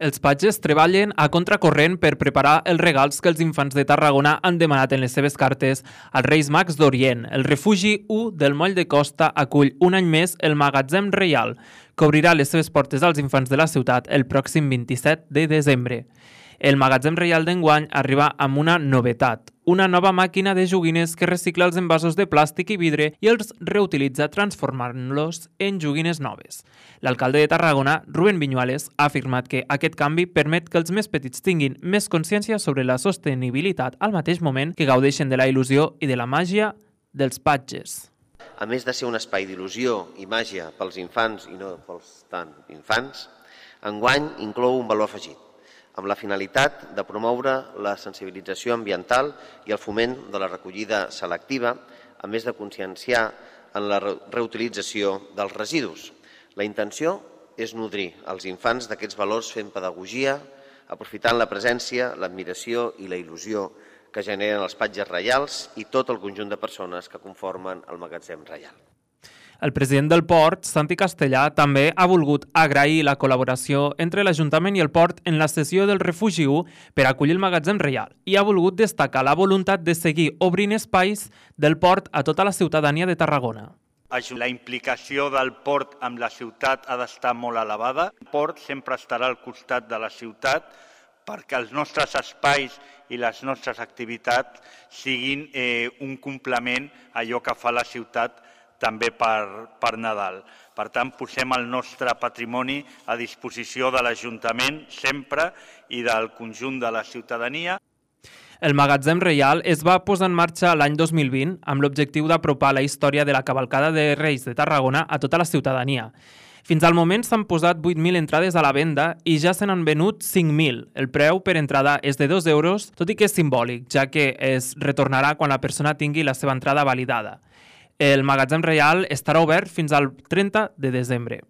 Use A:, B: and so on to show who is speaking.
A: Els patges treballen a contracorrent per preparar els regals que els infants de Tarragona han demanat en les seves cartes als Reis Mags d'Orient. El refugi 1 del Moll de Costa acull un any més el Magatzem Reial, que obrirà les seves portes als infants de la ciutat el pròxim 27 de desembre. El Magatzem Reial d'enguany arriba amb una novetat, una nova màquina de joguines que recicla els envasos de plàstic i vidre i els reutilitza transformant-los en joguines noves. L'alcalde de Tarragona, Rubén Viñuales, ha afirmat que aquest canvi permet que els més petits tinguin més consciència sobre la sostenibilitat al mateix moment que gaudeixen de la il·lusió i de la màgia dels patges.
B: A més de ser un espai d'il·lusió i màgia pels infants i no pels tan infants, enguany inclou un valor afegit, amb la finalitat de promoure la sensibilització ambiental i el foment de la recollida selectiva, a més de conscienciar en la reutilització dels residus. La intenció és nodrir els infants d'aquests valors fent pedagogia, aprofitant la presència, l'admiració i la il·lusió que generen els patges reials i tot el conjunt de persones que conformen el Magatzem Reial.
A: El president del port, Santi Castellà, també ha volgut agrair la col·laboració entre l'Ajuntament i el port en la cessió del Refugi 1 per acollir el Magatzem Reial i ha volgut destacar la voluntat de seguir obrint espais del port a tota la ciutadania de Tarragona.
C: La implicació del port amb la ciutat ha d'estar molt elevada. El port sempre estarà al costat de la ciutat perquè els nostres espais i les nostres activitats siguin un complement a allò que fa la ciutat també per Nadal. Per tant, posem el nostre patrimoni a disposició de l'Ajuntament sempre i del conjunt de la ciutadania.
A: El Magatzem Reial es va posar en marxa l'any 2020 amb l'objectiu d'apropar la història de la cavalcada de Reis de Tarragona a tota la ciutadania. Fins al moment s'han posat 8.000 entrades a la venda i ja se n'han venut 5.000. El preu per entrada és de 2 euros, tot i que és simbòlic, ja que es retornarà quan la persona tingui la seva entrada validada. El Magatzem Reial estarà obert fins al 30 de desembre.